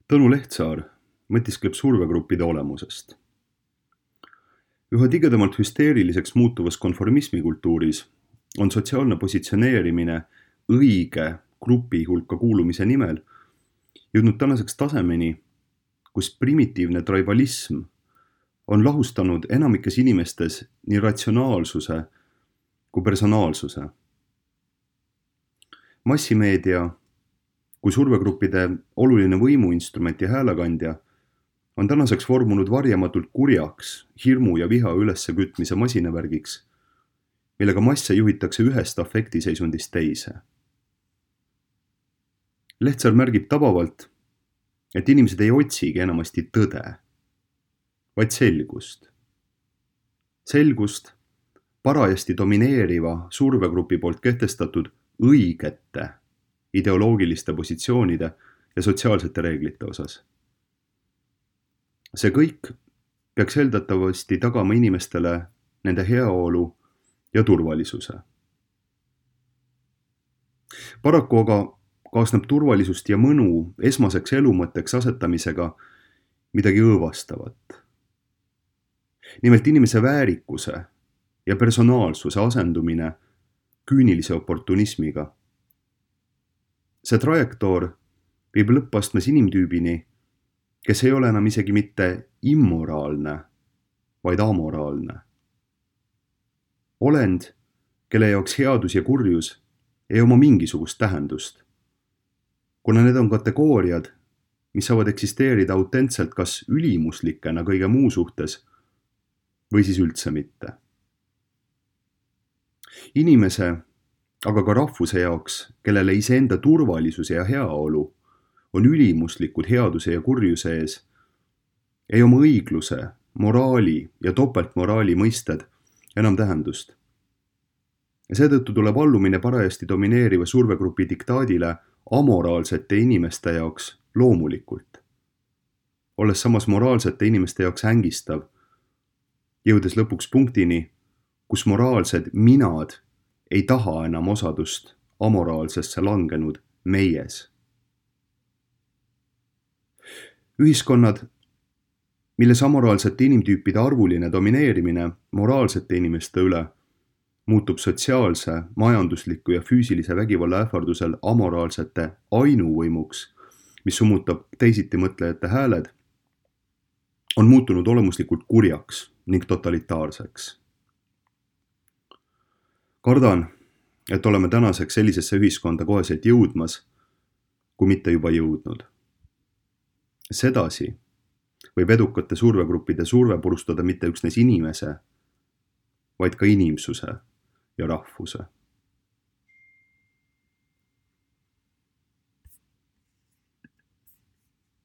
Tõnu Lehtsaar mõtiskleb survegruppide olemusest. Üha tigedamalt hüsteeriliseks muutuvas konformismikultuuris on sotsiaalne positsioneerimine õige grupi hulka kuulumise nimel jõudnud tänaseks tasemeni, kus primitiivne tribalism on lahustanud enamikes inimestes nii ratsionaalsuse kui personaalsuse. Massimeedia kui survegruppide oluline võimuinstrument ja häälekandja on tänaseks vormunud varjamatult kurjaks, hirmu ja viha üleskütmise masinavärgiks, millega masse juhitakse ühest afektiseisundist teise. Lehtsaar märgib tabavalt, et inimesed ei otsigi enamasti tõde, vaid selgust. Selgust parajasti domineeriva survegrupi poolt kehtestatud õigete ideoloogiliste positsioonide ja sotsiaalsete reeglite osas. See kõik peaks eeldatavasti tagama inimestele nende heaolu ja turvalisuse. Paraku aga kaasneb turvalisust ja mõnu esmaseks elumõtteks asetamisega midagi õõvastavat. Nimelt inimese väärikuse ja personaalsuse asendumine küünilise oportunismiga. See trajektoor viib lõppastmes inimtüübini, kes ei ole enam isegi mitte immoraalne, vaid amoraalne. Olend, kelle jaoks headus ja kurjus ei oma mingisugust tähendust, kuna need on kategooriad, mis saavad eksisteerida autentselt kas ülimuslikena kõige muu suhtes või siis üldse mitte. Inimese, aga ka rahvuse jaoks, kellele iseenda turvalisuse ja heaolu on ülimuslikud headuse ja kurjuse ees, ei oma õigluse, moraali ja topeltmoraali mõisted enam tähendust. Ja seetõttu tuleb allumine parajasti domineeriva survegrupi diktaadile amoraalsete inimeste jaoks loomulikult, olles samas moraalsete inimeste jaoks ängistav, jõudes lõpuks punktini, kus moraalsed minad ei taha enam osadust amoraalsesse langenud meies. Ühiskonnad, milles amoraalsete inimtüüpide arvuline domineerimine moraalsete inimeste üle muutub sotsiaalse, majandusliku ja füüsilise vägivalla ähvardusel amoraalsete ainuvõimuks, mis summutab teisiti mõtlejate hääled, on muutunud olemuslikult kurjaks ning totalitaarseks. Kardan, et oleme tänaseks sellisesse ühiskonda koheselt jõudmas, kui mitte juba jõudnud. Sedasi võib edukate survegruppide surve purustada mitte üksnes inimese, vaid ka inimsuse ja rahvuse.